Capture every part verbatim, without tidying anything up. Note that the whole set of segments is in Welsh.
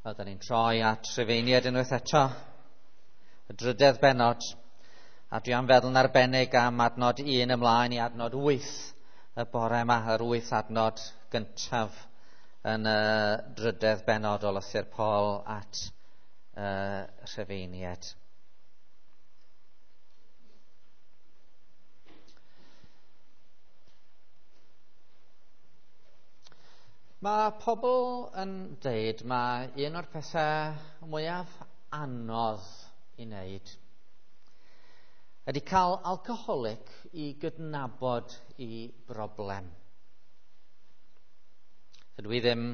Wel, da ni'n troi at Rhufeiniaid unwaith eto, y drydedd bennod, a dwi am feddwl yn arbennig am adnod un ymlaen i adnod wyth y bore yma, yr wyth adnod gyntaf yn y drydedd bennod o lythyr Paul at uh, Rhufeiniaid. Mae pobl yn deud mae un o'r pethau mwyaf anodd i wneud ydy cael alcoholic i gydnabod i broblem. Dydw i ddim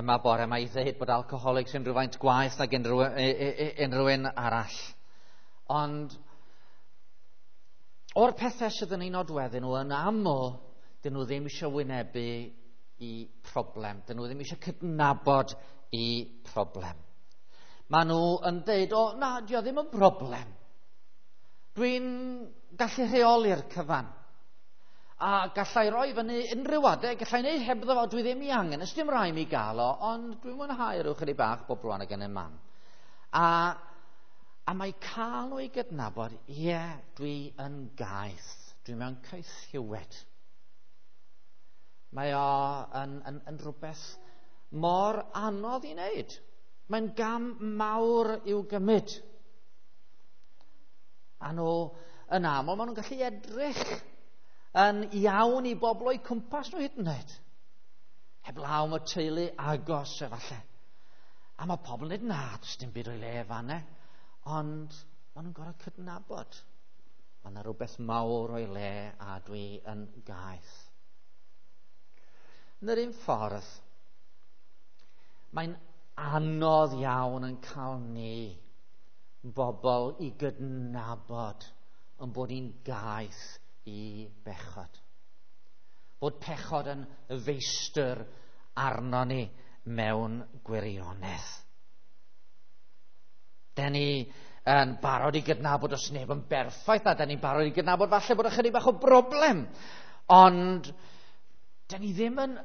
yma bore yma i ddweud bod alcoholics yn rhywfaint gwaeth nag unrhyw, unrhyw un arall. Ond o'r pethau sydd yn ei nodweddu nhw yn aml, dyn nhw ddim eisiau wynebu i problem. Dyn nhw ddim eisiau cydnabod i problem. Maen nhw yn deud, o, na, dio ddim yn broblem. Dwi'n gallu rheoli'r cyfan. A gallai roi fyny unrhyw adeg, gallai wneud hebddo fo, dwi ddim i angen, ys dim rai mi gael o, ond dwi'n mwynhau rhyw chydig bach bob blwyddyn ag yn y man. A, a mae cael nhw i gydnabod, ie, yeah, dwi yn gaeth, dwi mewn caethiwed. Mae o yn, yn, yn rhywbeth mor anodd i wneud. Mae'n gam mawr i'w gymryd. A nhw yn aml, maen nhw'n gallu edrych yn iawn i bobl o'u cwmpas nhw hyd yn oed. Heblaw am y teulu agos efallai. A mae pobl yn dweud, na, does dim byd o'i le fan'na. Ond maen nhw'n gorfod cydnabod. Mae yna rhywbeth mawr o'i le a dwi yn gaeth. Yn yr un ffordd, mae'n anodd iawn yn cael ni bobl i gydnabod yn bod ni'n gaeth i bechod. Bod pechod yn feistr arno ni mewn gwirionedd. Den ni yn barod i gydnabod os neb yn berffaith, a den ni'n barod i gydnabod falle bod ychydig bach o broblem. Ond den ni ddim yn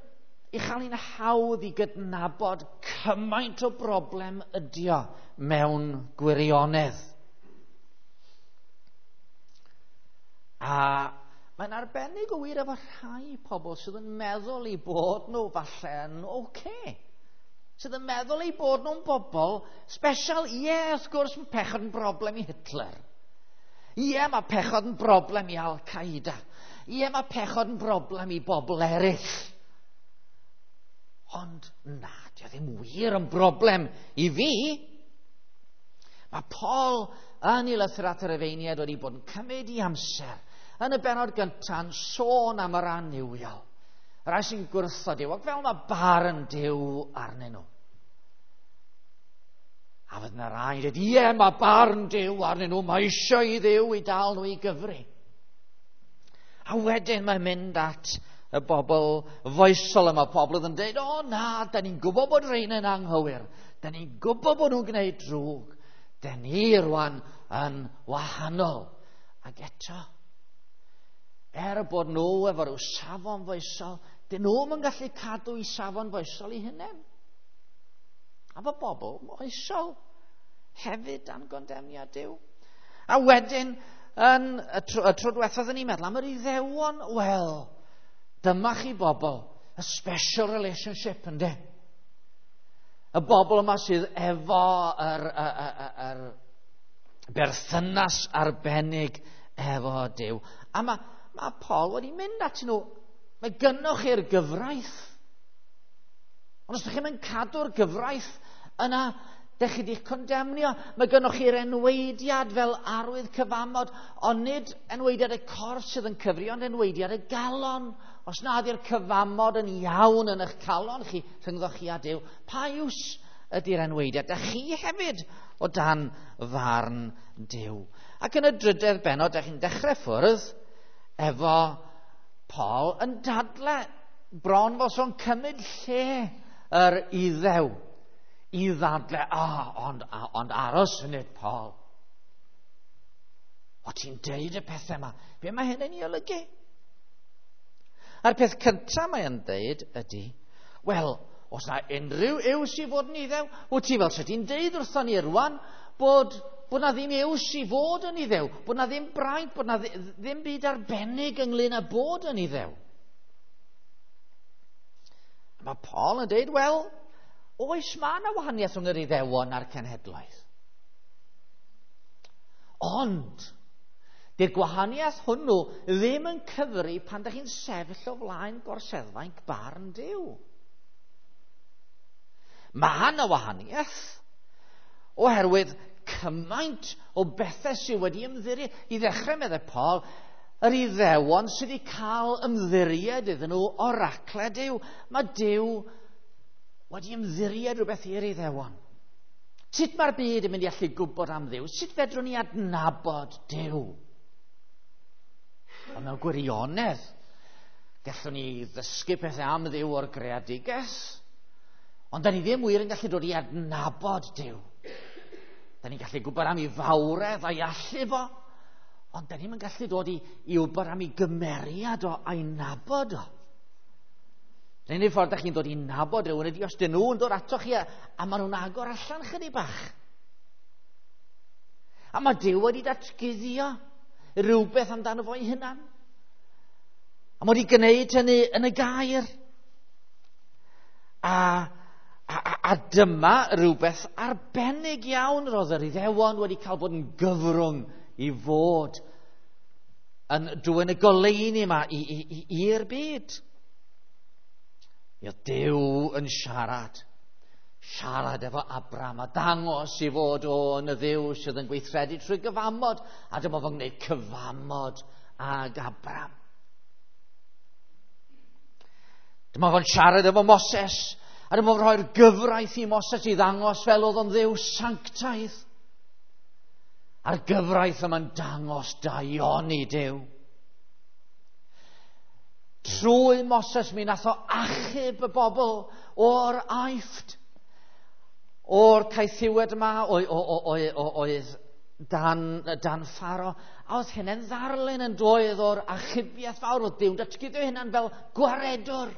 ei chael hi'n hawdd i gydnabod cymaint o broblem ydi o mewn gwirionedd. A mae'n arbennig o wir efo rhai pobl sydd yn meddwl eu bod nhw falle yn oce. Sydd yn meddwl eu bod nhw'n bobl special. Ie, yeah, wrth gwrs mae pechod yn broblem i Hitler. Ie, yeah, mae pechod yn broblem i Al-Qaeda. Ie, mae pechod yn broblem i bobl eraill. Ond na, dio ddim wir yn broblem i fi. Mae Paul yn ei lythyr at yr Rhufeiniaid wedi bod yn cymryd i amser yn y bennod gyntaf yn sôn am yr annuwiol. Y rhai sy'n gwrthod Duw, ac fel mae barn Duw arnyn nhw. A fydd yna rai yn dweud, ie, mae barn Duw arnyn nhw, mae eisiau i Dduw i dal nhw i gyfri. A wedyn mae'n mynd at y bobl foesol yma, pobl oedd yn dweud, o na, da ni'n gwybod bod rhain yn anghywir, da ni'n gwybod bod nhw'n gwneud drwg, da ni rwan yn wahanol. Ac eto, er bod nhw efo rhyw safon foesol, dyn nhw'm yn gallu cadw i safon foesol eu hunain. A fo bobl moesol hefyd dan gondemniad Duw. A wedyn, yn y tro, y tro diwethaf oedden ni'n meddwl am yr Iddewon, wel, dyma chi bobl, a special relationship, yndê? Y bobl yma sydd efo yr, yr, yr, yr berthynas arbennig efo Duw. A mae, mae Paul wedi mynd at nhw, mae gynnoch chi'r gyfraith. Ond os ydych chi'n mynd cadw'r gyfraith, yna dych chi wedi'ch condemnio. Mae gynnoch chi'r enweidiad fel arwydd cyfamod, ond nid enweidiad y corff sydd yn cyfri, ond enweidiad y galon. Os na ydy'r cyfamod yn iawn yn eich calon chi, rhyngddo chi a Duw, pa iws ydy'r enweidiad? Dych chi hefyd o dan farn Duw. Ac yn y drydedd bennod, dych chi'n dechrau ffwrdd efo Paul yn dadle bron fel so'n cymryd lle yr Iddew i ddadle, ah, ond, ond aros funud, Paul. O, ti'n deud y pethau yma. Be mae hyn yn ei olygu? A'r peth cyntaf mae yn deud ydy, wel, Oes na unrhyw iws i fod yn Iddew? Wyt ti fel sydd ti'n deud wrthon ni rwan bod, bod na ddim iws i fod yn Iddew, bod na ddim braint, bod na ddim byd arbennig ynglyn â bod yn Iddew. Mae Paul yn deud, wel, oes mae yna wahaniaeth rhwng yr Iddewon a'r cenhedloedd. Ond, di'r gwahaniaeth hwnnw ddim yn cyfri pan ydych chi'n sefyll o flaen gorseddfainc barn Duw. Mae yna wahaniaeth oherwydd cymaint o bethau sydd wedi ymddiried. I ddechrau, meddai Paul, yr Iddewon sydd wedi cael ymddiried iddyn nhw oracle Duw. Mae Duw wedi ymddiried rhywbeth i'r Iddewon. Sut mae'r byd yn mynd i allu gwybod am Dduw? Sut fedrwn ni adnabod Duw? Ond mewn gwirionedd, gallwn ni ddysgu pethau am Dduw o'r greadigaeth, ond da ni ddim wir yn gallu dod i adnabod Duw. Da ni'n gallu gwybod am ei fawredd a'i allu fo, ond da ni'n gallu dod i, i wybod am ei gymeriad o a'i nabod o. Yr unig ffordd da chi'n dod i nabod rhywun ydy os dyn nhw'n dod atoch chi a, a maen nhw'n agor allan chydig bach. A mae Duw wedi datguddio rhywbeth amdano fo'i hunan. A mae wedi gwneud hynny yn y gair. A, a, a, a dyma rhywbeth arbennig iawn roedd yr Iddewon wedi cael bod yn gyfrwng i fod yn dwyn y goleuni yma i'r byd. Oedd Duw yn siarad, siarad efo Abram a dangos i fod o yn y Dduw sydd yn gweithredu trwy gyfamod, a dyma fo'n gwneud cyfamod ag Abram. Dyma fo'n siarad efo Moses, a dyma fo'n rhoi'r gyfraith i Moses i ddangos fel oedd o'n Dduw sanctaidd. A'r gyfraith yma'n dangos daioni Duw. Trwy Moses mi nath o achub y bobl o'r Aifft, o'r caethiwed yma oedd dan, dan Pharo. A oedd hynny'n ddarlun yn doedd o'r achubiaeth fawr, oedd Duw'n datguddio hynna'n fel gwaredwr.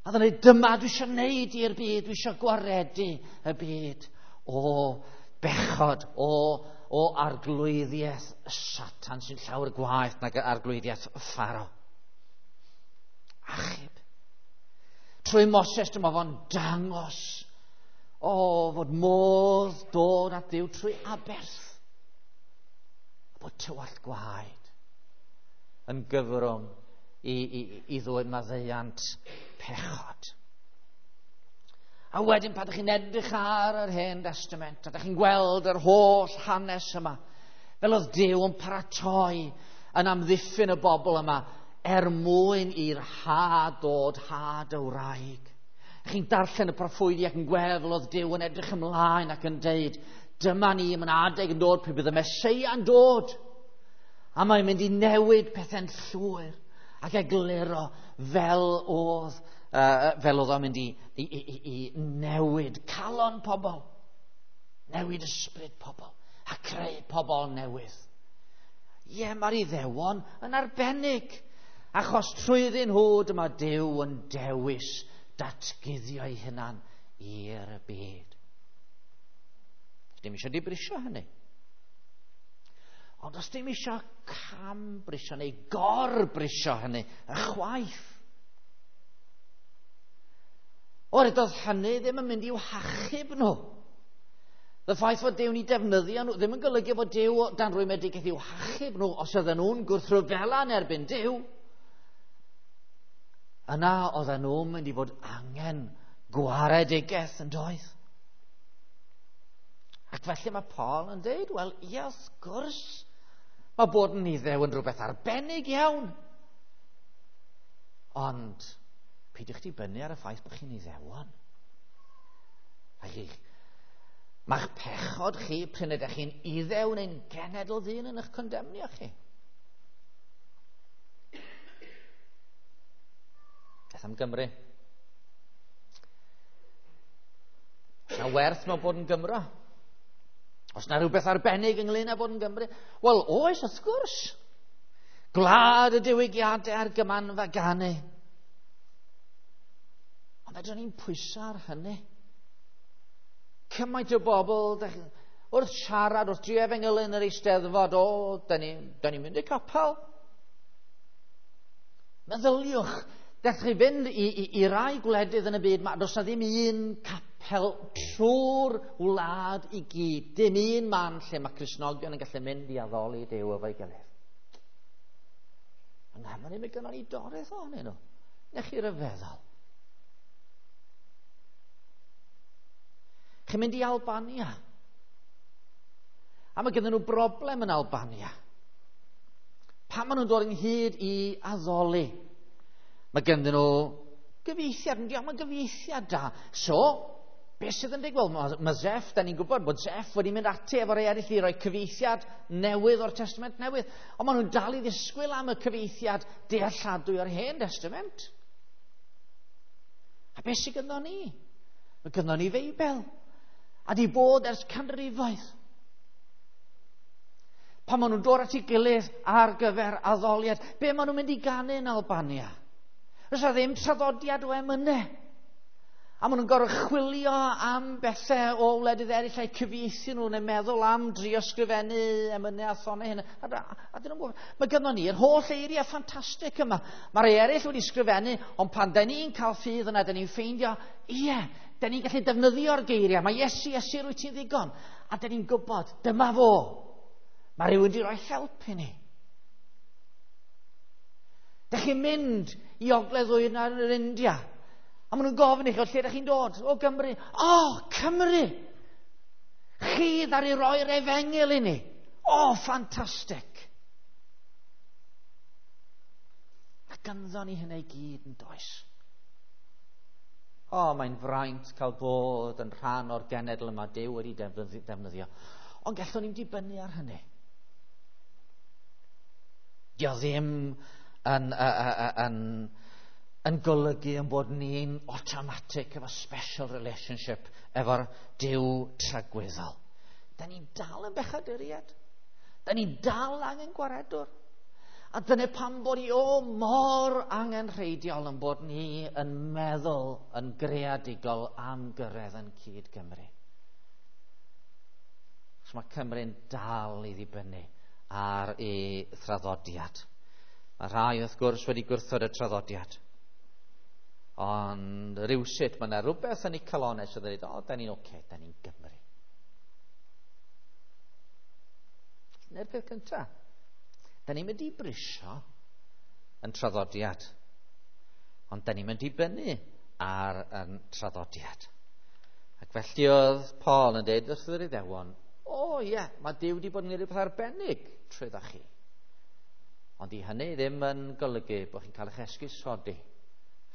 A oedd yn dweud, dyma dwi eisiau gwneud i'r byd, dwi eisiau gwaredu y byd o bechod, o, o arglwyddiaeth Satan sy'n llawer gwaeth nag arglwyddiaeth Pharo. Achub. Trwy Moses dyma fo'n dangos o fod modd dod at Dduw trwy aberth. A bod tywallt gwaed yn gyfrwng i, i, i ddwyn maddeuant pechod. A wedyn pan ydych chi'n edrych ar yr Hen Testament, a ydych chi'n gweld yr holl hanes yma, fel oedd Duw yn paratoi yn amddiffyn y bobl yma er mwyn i'r had dod, had y wraig. Chi'n darllen y proffwydi ac yn gweld fel oedd Duw yn edrych ymlaen ac yn deud, dyma ni, mae'n adeg yn dod pryd bydd y Meseia yn dod. A mae'n mynd i newid pethau'n llwyr ac egluro fel oedd, uh, fel oedd o'n mynd i, i, i, i newid calon pobl, newid ysbryd pobl a creu pobl newydd. Ie, mae'r Iddewon yn arbennig, achos trwyddyn nhw dyma Duw yn dewis datguddio ei hunan i'r byd. Dim eisiau dibrisio hynny. Ond os dim eisiau cam-brisio neu gor-brisio hynny, ychwaith. Oherwydd doedd hynny ddim yn mynd i'w hachub nhw. Y ffaith fod Duw'n eu defnyddio nhw ddim yn golygu fod Duw dan rwymedigaeth i'w hachub nhw os oedden nhw'n gwrthryfela yn erbyn Duw. Yna oedden nhw'n mynd i fod angen gwaredigaeth yn doedd. Ac felly mae Paul yn dweud, wel, ie, wrth gwrs, mae bod yn Iddew yn rhywbeth arbennig iawn. Ond peidiwch dibynnu ar y ffaith bod chi'n Iddewon. Mae'ch pechod chi, pryn ydych chi'n Iddew neu'n genedl ddyn yn eich condemnio chi. Beth am Gymru? Oes na werth mewn bod yn Gymro? Oes na rhywbeth arbennig ynglyn â bod yn Gymru? Wel, oes, wrth gwrs. Gwlad y diwygiadau a'r gymanfa ganu. Ond Fedrwn ni'n pwyso ar hynny. Cymaint o bobl, wrth siarad, wrth drio efengylu yn yr Eisteddfod, o, da ni'n ni mynd i capel. Meddyliwch, dech chi fynd i, i, i rai gwledydd yn y byd, ma, does na ddim un capel trwy'r wlad i gyd. Dim un man lle mae Cristnogion yn gallu mynd i addoli Duw efo'i gilydd. Yng Nghymru, mae gynnon ni doreth ohonyn nhw. Nech chi ryfeddol. Chi'n mynd i Albania. A mae gennyn nhw broblem yn Albania. Pan maen nhw'n dod ynghyd i addoli, mae gennyn nhw gyfieithiad, yn diolch, mae gyfieithiad da. So, beth sydd yn digwydd? Mae, mae Zeff, da ni'n gwybod bod Zeff wedi mynd ati efo rei eraill i roi cyfieithiad newydd o'r Testament Newydd. Ond maen nhw'n dal i ddisgwyl am y cyfieithiad dealladwy o'r Hen Testament. A beth sydd gynnon ni? Mae gynnon ni Feibl. A di bod ers canrifoedd. Pan maen nhw'n dod at ei gilydd ar gyfer addoliad, be maen nhw'n mynd i ganu yn Albania? Oes na ddim traddodiad o emynau. A maen nhw'n gorfod chwilio am bethau o wledydd eraill a'u cyfieithu nhw neu meddwl am drio sgrifennu emynau a thonau hyn. A, a, a dyn nhw'n gwybod, mae gynnon ni'r holl eiriau ffantastig yma. Mae rhai eraill wedi sgrifennu, ond pan da ni'n cael ffydd yna, da ni'n ffeindio, ie, da ni'n gallu defnyddio'r geiriau. Mae Iesu, Iesu, rwyt ti'n ddigon. A da ni'n gwybod, dyma fo. Mae rhywun wedi rhoi help i ni. Dych chi'n mynd i ogledd ddwyrain yr India. A maen nhw'n gofyn i chi, o lle ydych chi'n dod? O Gymru. O, Cymru! Chi ddaru roi'r efengyl i ni. O, ffantastig! A ganddo ni hynny i gyd yn does. O, mae'n fraint cael bod yn rhan o'r genedl yma Duw wedi defnyddio. Ond gallwn ni'n dibynnu ar hynny. Dio ddim yn, yn, yn golygu yn bod ni'n automatic efo special relationship efo'r Duw tragwyddol. Da ni'n dal yn bechaduriaid. Da ni'n dal angen gwaredwr. A dyna pam bod ni o mor angenrheidiol yn bod ni yn meddwl yn greadigol am gyrraedd yn cyd Gymru. Achos mae Cymru'n dal i ddibynnu ar ei thraddodiad. Mae rhai wrth gwrs wedi gwrthod y traddodiad. Ond rywsut mae yna rhywbeth yn eu calonnau sydd yn dweud, o, da ni'n oce, okay, da ni'n Gymru. Dyna'r peth cyntaf. Da ni'n mynd i brisio yn traddodiad, ond da ni'n mynd i dibynnu ar yn traddodiad. Ac felly oedd Paul yn dweud wrth yr Iddewon, o ie, mae Duw wedi bod yn gwneud rhywbeth arbennig trwyddo chi. Ond i hynny ddim yn golygu bod chi'n cael eich esgusodi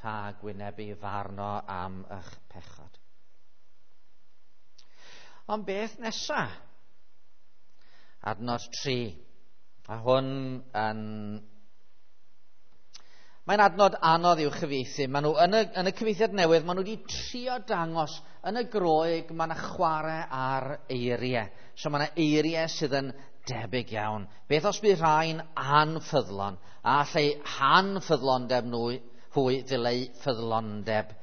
rhag wynebu farno am eich pechod. Ond beth nesa? Adnod tri. A hwn yn... Mae'n adnod anodd i'w chyfieithu. Maen nhw, yn, y, yn y cyfieithiad newydd, maen nhw wedi trio dangos yn y Groeg, mae yna chwarae ar eiriau. So mae yna eiriau sydd yn debyg iawn. Beth os bydd rhai'n anffyddlon? A allai hanffyddlondeb nhw, hwy ddileu ffyddlondeb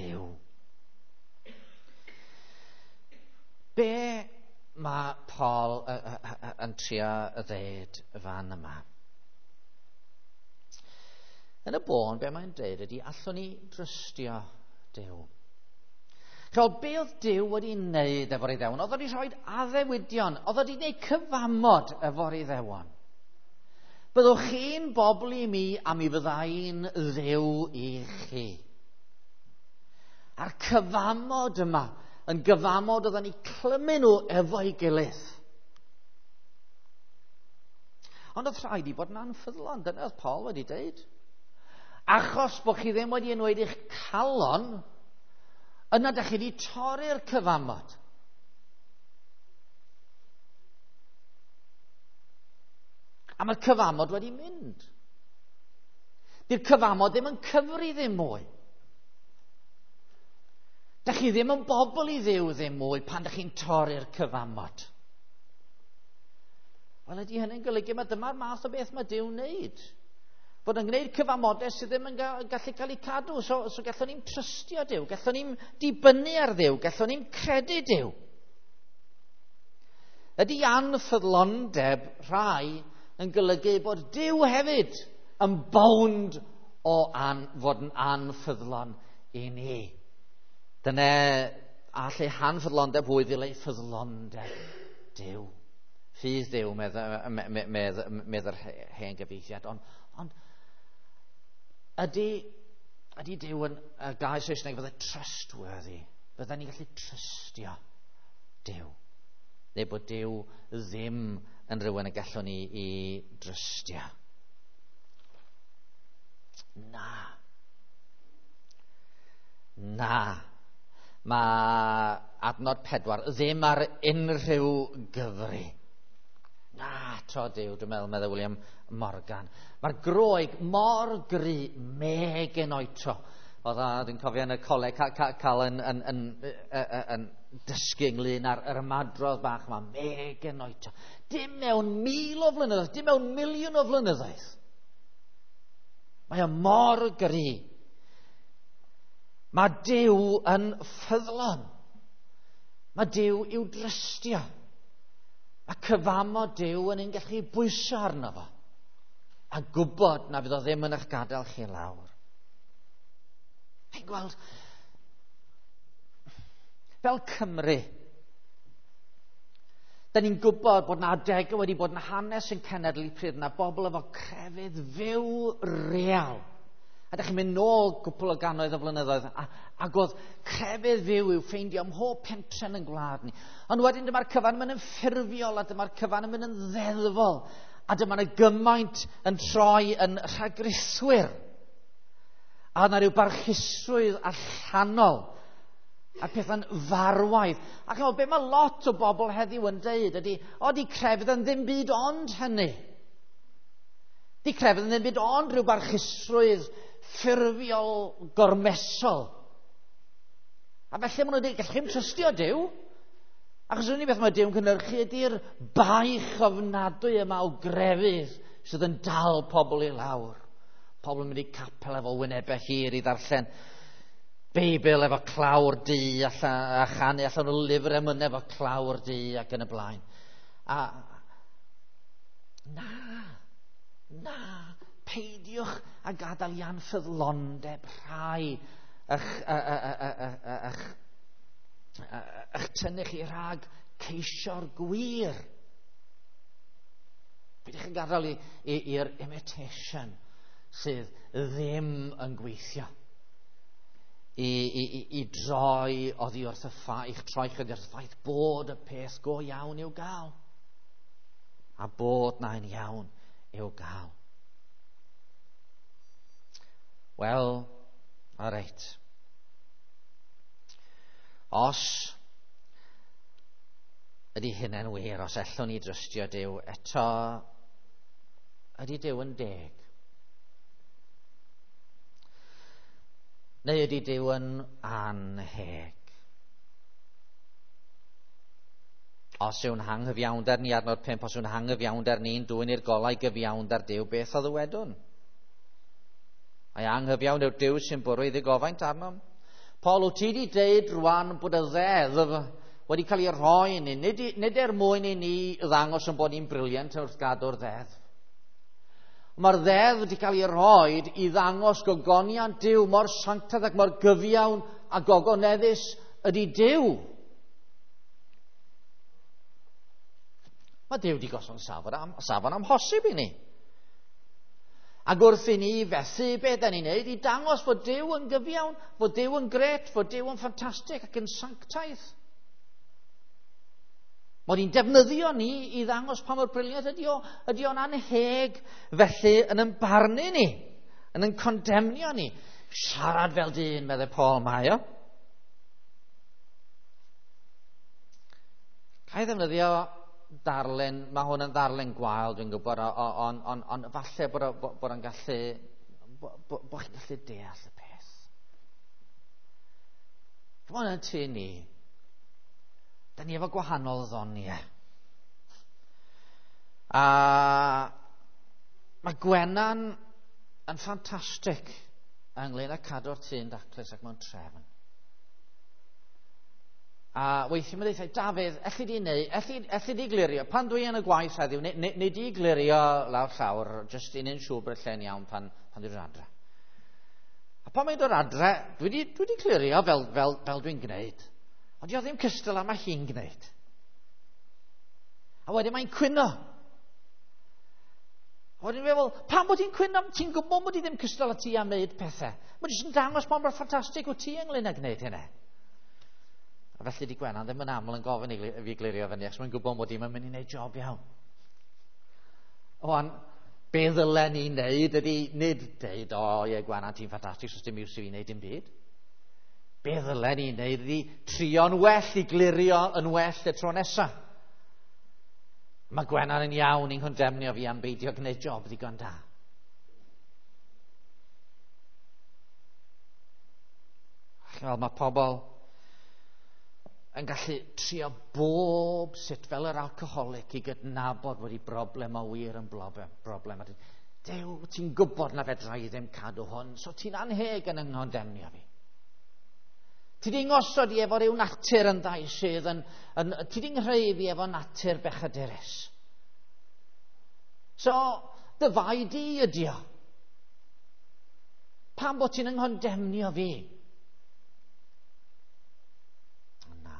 Duw. Be mae Paul yn trio ddeud fan yma? Yn y bôn, be mae'n dweud ydy, allwn ni drystio Duw. Chewch, be oedd Duw wedi wneud efo'r Iddewon? Oedd wedi rhoi addewidion, oedd wedi gwneud cyfamod efo'r Iddewon. Byddwch chi'n bobl i mi a mi fyddai'n Dduw i chi. A'r cyfamod yma, yn gyfamod oedden ni clymu nhw efo'i gilydd. Ond oedd rhaid i bod yn anffyddlon, dyna oedd Paul wedi dweud. Achos bod chi ddim wedi enweud eich calon, yna dach chi wedi torri'r cyfamod. A mae'r cyfamod wedi mynd. Di'r cyfamod ddim yn cyfri ddim mwy. Dach chi ddim yn bobl i Dduw ddim mwy pan dach chi'n torri'r cyfamod. Wel, ydy hynny'n golygu mae dyma'r math o beth mae Duw'n wneud. Bod yn gwneud cyfamodau sydd ddim yn gallu cael eu cadw. So, so gallwn ni'n trystio Duw, gallwn ni'n dibynnu ar Dduw, gallwn ni'n credu Duw. Ydy anffyddlondeb rhai yn golygu bod Duw hefyd yn bownd o an, fod yn anffyddlon i ni. Dyna all eu hanffyddlondeb hwy ddileu ffyddlondeb Duw. Ffydd Duw, medd, medd, medd, medd yr hen gyfieithiad. Ond, ond ydy, ydy Duw yn y gair Saesneg fydde trustworthy. Fydden ni'n gallu trystio Duw. Neu bod Duw ddim yn rhywun y gallwn ni i drystio. Na. Na. Mae adnod pedwar ddim ar unrhyw gyfri. Na, to Duw, dwi'n meddwl, meddwl William Morgan. Mae'r Groeg mor gry, me genoito. Oedd a, dwi'n cofio yn y coleg ca, ca, cael yn, yn, yn, yn, yn dysgu ynglyn â'r yr ymadrodd bach yma, me genoito. Dim mewn mil o flynyddoedd, dim mewn miliwn o flynyddoedd. Mae o mor gry. Mae Duw yn ffyddlon. Mae Duw i'w drystio. Mae cyfamod Duw yn ein gallu bwyso arno fo. A gwybod na fydd o ddim yn eich gadael chi lawr. Chi'n gweld, fel Cymru, da ni'n gwybod bod na adegau wedi bod yn hanes yn cenedl i pryd na bobl efo crefydd fyw real. A da chi'n mynd nôl gwpl o gannoedd o flynyddoedd, a, ac oedd crefydd fyw i'w ffeindio ym mhob pentren yn gwlad ni. Ond wedyn dyma'r cyfan yn mynd yn ffurfiol, a dyma'r cyfan yn mynd yn ddeddfol, a dyma yna gymaint yn troi yn rhagrithwyr. A yna rhyw barchusrwydd allanol, a pethau'n farwaidd. A chymod, be mae lot o bobl heddiw yn deud ydy, o, di crefydd yn ddim byd ond hynny. Di crefydd yn ddim byd ond rhyw barchusrwydd ffurfiol gormesol. A felly maen nhw'n dweud, gallwch chi'm trystio Duw. Achos yr unig beth mae Duw'n cynhyrchu ydy'r baich ofnadwy yma o grefydd sydd yn dal pobl i lawr. Pobl yn mynd i capel efo wynebau hir i ddarllen Beibl efo clawr du allan, a chanu allan o lyfr emynau efo clawr du ac yn y blaen. A na, na, peidiwch a gadael i anffyddlondeb rhai eich, eich, eich tynnu chi rhag ceisio'r gwir. Peidiwch yn gadael i'r imitation sydd ddim yn gweithio i, i, i, i droi oddi wrth y ffaith, i'ch troi chi oddi wrth y ffaith bod y peth go iawn i'w gael. A bod na'n iawn i'w gael. Wel, all right. Os ydy hynny'n wir, os ellwn ni drystio Duw, eto ydy Duw yn deg? Neu ydy Duw yn anheg? Os yw'n hanghyfiawnder ni, adnod pump, os yw'n hanghyfiawnder ni'n dwyn i'r golau gyfiawnder Duw, beth a ddywedwn? Ai anghyfiawn yw'r Duw sy'n bwrw ei ddigofaint arnom? Paul, wyt ti wedi deud rwan bod y ddeddf wedi cael ei rhoi i ni, nid, nid er mwyn i ni ddangos yn bod ni'n brilliant wrth gadw'r ddeddf. Mae'r ddeddf wedi cael ei rhoi i ddangos gogoniant Duw mor sanctaidd ac mor gyfiawn a gogoneddus ydy Duw. Mae Duw wedi gosod safon, am, safon amhosib i ni. Ac wrth i ni fethu beth da ni'n neud i dangos fod Duw yn gyfiawn, fod Duw yn gret, fod Duw yn ffantastig ac yn sanctaidd. Mod i'n defnyddio ni i ddangos pa mor brilliant ydy o, ydy o'n anheg felly yn yn barnu ni, yn yn condemnio ni. Siarad fel dyn, meddai Paul, mae o. Ga i ddefnyddio darlun, mae hwn yn ddarlun gwael, dwi'n gwybod, ond on, on, on, falle bod, o, bod o'n gallu, bod, bod chi'n gallu deall y peth. Chymod yn tŷ ni, da ni efo gwahanol ddoniau. A mae Gwenan yn ffantastig ynglyn â cadw'r tŷ'n daclus ac mewn trefn. A weithiau mae'n dweud, Dafydd, elli di neu, elli, elli di glirio, pan dwi yn y gwaith heddiw, neu, neu, neu di glirio lawr llawr, jyst i neud siŵr bod y lle'n iawn pan, pan dwi'n dod adre. A pan mae'n dod adre, dwi di, dwi di clirio fel, fel, fel dwi'n gwneud. Ond di o ddim cystal â mae hi'n gwneud. A wedyn mae'n cwyno. A wedyn dwi'n meddwl, pam bod hi'n cwyno? Ti'n gwybod bod hi ddim cystal â ti am wneud pethau. Mae'n jyst yn dangos pa mor ffantastig wyt ti ynglyn â gwneud hynny. A felly di Gwenan ddim yn aml yn gofyn i fi glirio fyny, achos mae'n gwybod mod i'n mynd i wneud job iawn. Oan, be ddylen ni wneud ydy nid deud, o ie Gwenan, ti'n ffantastig, so dim iws i fi wneud dim byd. Be ddylen ni wneud ydy trio'n well i glirio yn well y tro nesaf. Mae Gwenan yn iawn i'n condemnio fi am beidio gwneud job ddigon da. Wel, mae pobl yn gallu trio bob sut fel yr alcoholic i gydnabod bod ei broblem o wir yn broblem. Dew, ti'n gwybod na fedra i ddim cadw hwn, so ti'n anheg yn yng nghondemnio fi. Ti di ngosod i efo ryw natur yn ddau sydd yn, yn ti di nghreu fi efo natur bechadurus. So, dy fai di ydi o. Pam bod ti'n yng nghondemnio fi? Na.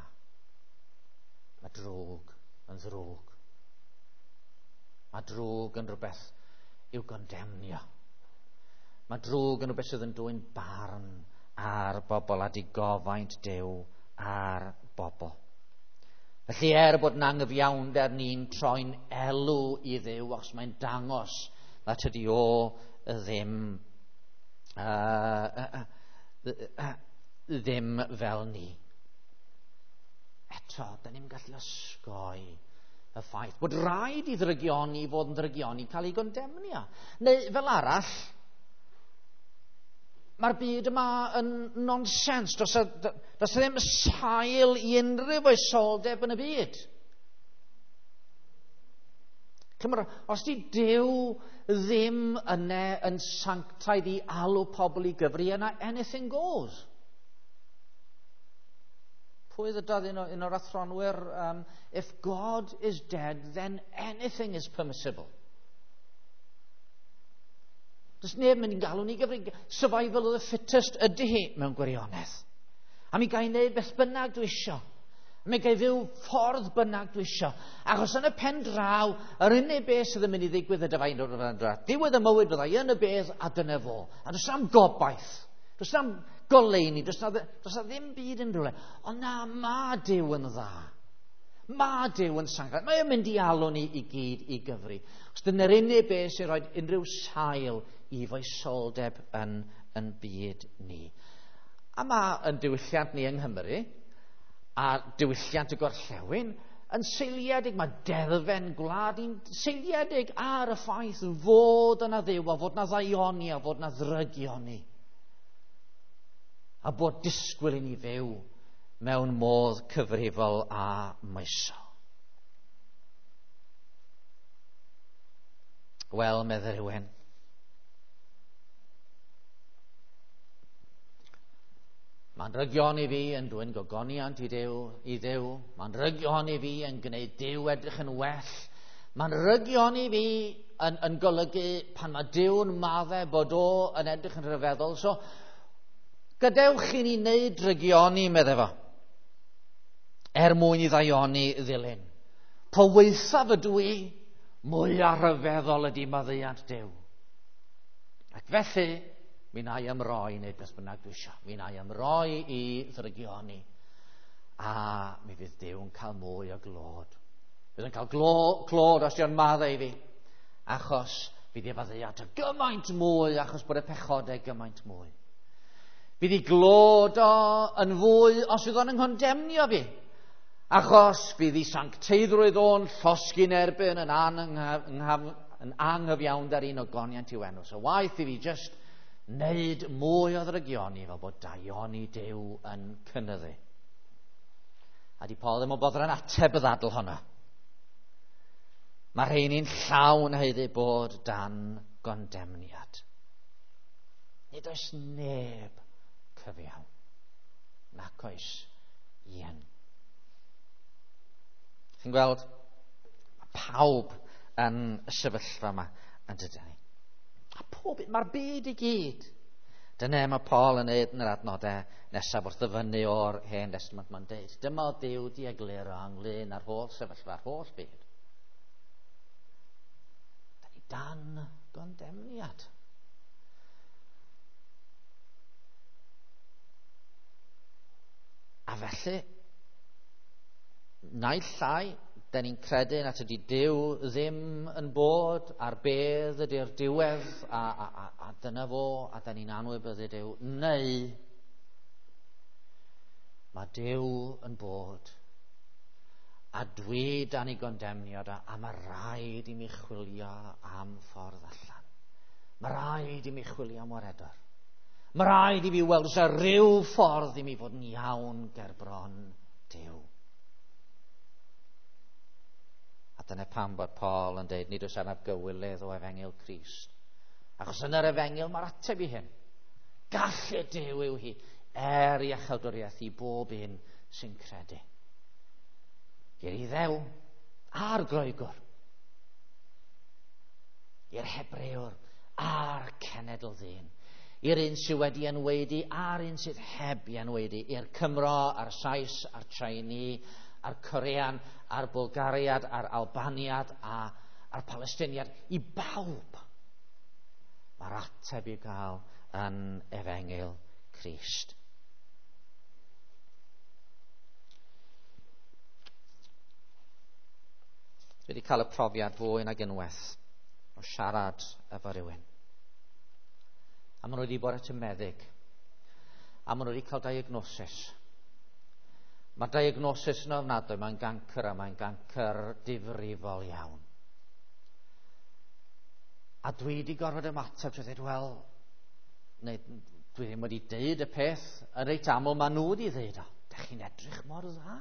Mae drwg yn ddrwg. Mae drwg yn rhywbeth i'w gondemnio. Mae drwg yn rhywbeth sydd yn dwyn barn ar bobl a digofaint Duw ar bobl. Felly er bod yn anghyfiawnder ni'n troi'n elw i Dduw, achos mae'n dangos na tydi o ddim, uh, uh, uh, uh, ddim fel ni. Eto, da ni'n gallu osgoi y ffaith bod rhaid i ddrygioni fod yn ddrygioni cael ei gondemnio. Neu fel arall, mae'r byd yma yn nonsens. Does, a, does a ddim sail i unrhyw foesoldeb yn y byd. Cymru, os di Duw ddim yna yn sanctaidd i alw pobl i gyfri, yna anything goes. Pwy ddydodd un, un o'r athronwyr, um, if God is dead, then anything is permissible. Does neb mynd i'n galw ni gyfri. Survival of the fittest ydy hi mewn gwirionedd. A mi gael wneud beth bynnag dwi isio. A mi gael fyw ffordd bynnag dwi isio. Achos yn y pen draw, yr unig beth sydd yn mynd i ddigwydd ydy fain o'r draw. Diwedd y mywyd fydda i yn y bedd a dyna fo. A does am gobaith. Does am goleuni. Does na, does na ddim byd yn rhywle. Ond na, ma Duw yn dda. Mae Duw yn sanctaidd. Mae o'n mynd i alw ni i gyd i gyfri. Os dyna'r unig beth sy'n rhoi unrhyw sail i foesoldeb yn, yn byd ni. A mae yn diwylliant ni yng Nghymru a diwylliant y gorllewin yn seiliedig, mae deddfen gwlad ni'n seiliedig ar y ffaith fod yna Dduw a fod yna ddaioni a fod yna ddrygioni. A bod disgwyl i ni fyw mewn modd cyfrifol a moesol. Wel, medde rhywun, mae'n rygion i fi yn dwyn gogoniant i Dduw, i Dduw. Mae'n rygion i fi yn gwneud Duw edrych yn well. Mae'n rygion i fi yn, yn golygu pan mae Duw'n maddau bod o yn edrych yn rhyfeddol. So, gadewch i ni wneud drygioni, medde fo, er mwyn i ddaioni ddilyn. Po waethaf ydw i, mwyaf rhyfeddol ydy maddeuant Duw. Ac felly, mi na i ymroi i wneud beth bynnag dwi eisiau. Mi na i ymroi i ddrygioni. A mi fydd Duw yn cael mwy o glod. Fydd yn cael glo, clod os dio'n maddau i fi. Achos fydd ei faddeuant o gymaint mwy, achos bod y pechodau gymaint mwy. Fydd ei glod o yn fwy os fydd o'n yng fi. Achos fydd ei sancteiddrwydd o'n llosgi'n erbyn yn, yn anghyfiawnder un ogoniant i'w enw. So waeth i fi just wneud mwy o ddrygioni fel bod daioni Duw yn cynyddu. A di Paul ddim yn boddran ateb y ddadl honno. Mae rheini'n llawn haeddu bod dan gondemniad. Nid oes neb cyfiawn, nac oes un. Chi'n gweld, mae pawb yn y sefyllfa yma yn dydyn ni. A pob, mae'r byd i gyd. Dyna mae Paul yn neud yn yr adnodau nesaf wrth ddyfynnu o'r Hen Testament. Mae'n deud, dyma Duw di egluro ynglyn â'r holl sefyllfa, a'r holl byd. Da ni dan gondemniad. A felly, naill ai, da ni'n credu nad ydy Duw ddim yn bod a'r bedd ydy'r diwedd a, a, a, a dyna fo, a da ni'n anwybyddu Duw, neu mae Duw yn bod a dwi dan ei gondemniad a, a mae rhaid i mi chwilio am ffordd allan. Mae rhaid i mi chwilio am waredwr. Mae rhaid i mi weld os yna rhyw ffordd i mi fod yn iawn ger bron Duw. A dyna pam bod Paul yn deud, nid oes arnaf gywilydd o efengyl Crist. Achos yn yr efengyl mae'r ateb i hyn. Gallu Duw yw hi, er iachawdwriaeth i bob un sy'n credu. I'r Iddew a'r Groegwr, i'r Hebrewr a'r cenedl ddyn, i'r un sydd wedi enwaedu a'r un sydd heb i enwaedu, i'r Cymro a'r Sais a'r Tsieinead, a'r Corean, a'r Bwlgariad, a'r Albaniad, a, a'r Palestiniad, i bawb. Mae'r ateb i'w gael yn efengyl Crist. Dwi wedi cael y profiad fwy nag unwaith o siarad efo rhywun. A maen nhw wedi bod at y meddyg. A maen nhw wedi cael diagnosis. Mae'r diagnosis yn ofnadwy, mae'n gancr a mae'n gancr difrifol iawn. A dwi wedi gorfod ymateb trwy ddweud, wel, neu dwi ddim wedi deud y peth, yn reit aml maen nhw wedi ddeud o. Dach chi'n edrych mor dda.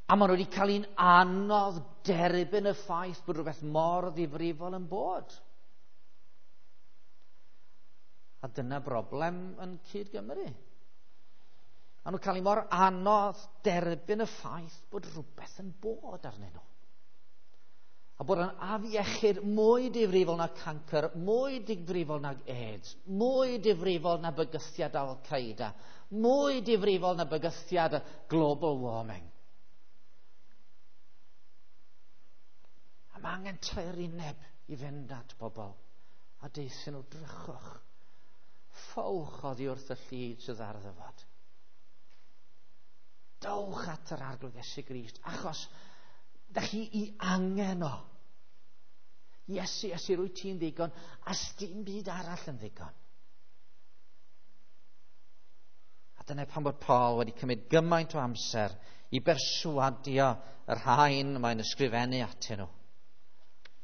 A maen nhw wedi cael un anodd derbyn y ffaith bod rhywbeth mor ddifrifol yn bod. A dyna broblem yn cyd Gymru. A nhw'n cael ei mor anodd derbyn y ffaith bod rhywbeth yn bod arnyn nhw. A bod yn afiechyd mwy difrifol na cancr, mwy difrifol nag AIDS, mwy difrifol na bygythiad Al-Qaeda, mwy difrifol na bygythiad global warming. A mae angen taerineb i fynd at bobl a deuthyn nhw, drychwch, ffowch oddi wrth y llid sydd ar ddyfod. Dowch at yr Arglwydd Iesu Grist, achos dach chi i angen o. Iesu, Iesu, rwyt ti'n ddigon, a sdim byd arall yn ddigon. A dyna pam bod Paul wedi cymryd gymaint o amser i berswadio y rhain mae'n ysgrifennu atyn nhw,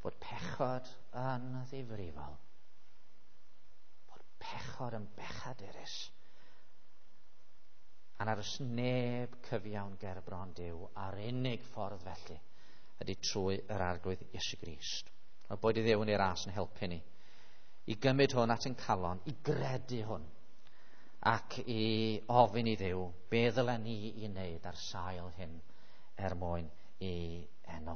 bod pechod yn ddifrifol, bod pechod yn bechadurus, a nad oes neb cyfiawn ger bron Duw, a'r unig ffordd felly ydy trwy yr Arglwydd Iesu Grist. A boed i Dduw yn ei ras yn helpu ni i gymryd hwn at ein calon, i gredu hwn, ac i ofyn i Dduw be ddylen ni i wneud ar sail hyn er mwyn i enw.